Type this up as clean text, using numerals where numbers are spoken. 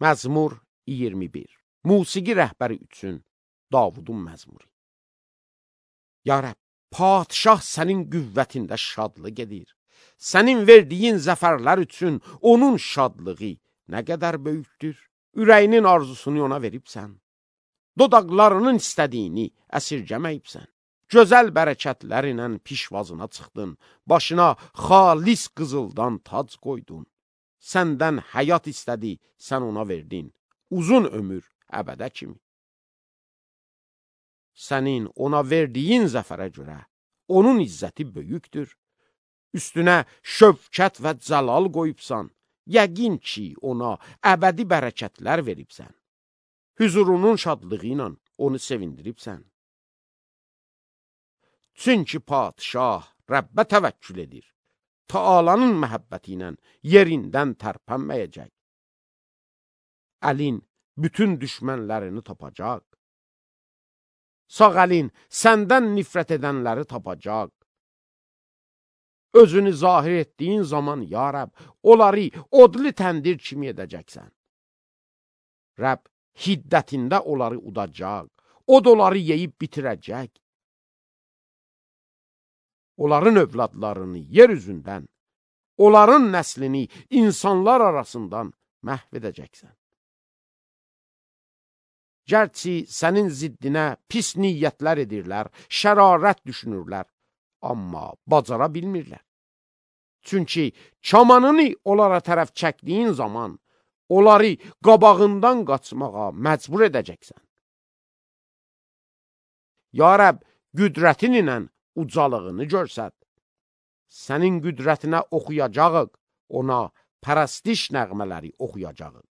Məzmur 21. Musiqi rəhbəri üçün Davudun məzmuru. Ya Rəbb, padişah sənin qüvvətində şadlıq edir. Sənin verdiyin zəfərlər üçün onun şadlığı nə qədər böyükdür. Ürəyinin arzusunu ona veribsən. Dodaqlarının istədiyini əsirgəməyibsən. Gözəl bərəkətlərlə pişvazına çıxdın. Başına xalis qızıldan tac qoydun. Səndən həyat istədi, sən ona verdin. Uzun ömür əbədə kimi. Sənin ona verdiyin zəfərə görə onun izzəti böyükdür. Üstünə şövkət və cəlal qoyubsan. Yəqin ki, ona əbədi bərəkətlər veribsən. Hüzurunun şadlığı ilə onu sevindiribsən. Çünki padişah Rəbbə təvəkkül edir. Taalanın məhəbbəti ilə yerindən tərpənməyəcək. Əlin bütün düşmənlərini tapacaq. Sağ əlin səndən nifrət edənləri tapacaq. Özünü zahir etdiyin zaman, ya Rəbb, onları odlu təndir kimi edəcəksən. Rəbb hiddətində onları udacaq, od onları yeyib bitirəcək. Onların övladlarını yer üzündən, onların nəslini insanlar arasından məhv edəcəksən. Gərçi sənin ziddinə pis niyyətlər edirlər, şərarət düşünürlər, amma bacara bilmirlər. Çünki kamanını onlara tərəf çəkdiyin zaman, onları qabağından qaçmağa məcbur edəcəksən. Ya Rəbb, qüdrətin ilə ucalığını görsət. Sənin qüdrətinə oxuyacağıq, ona pərəstiş nəğmələri oxuyacağıq.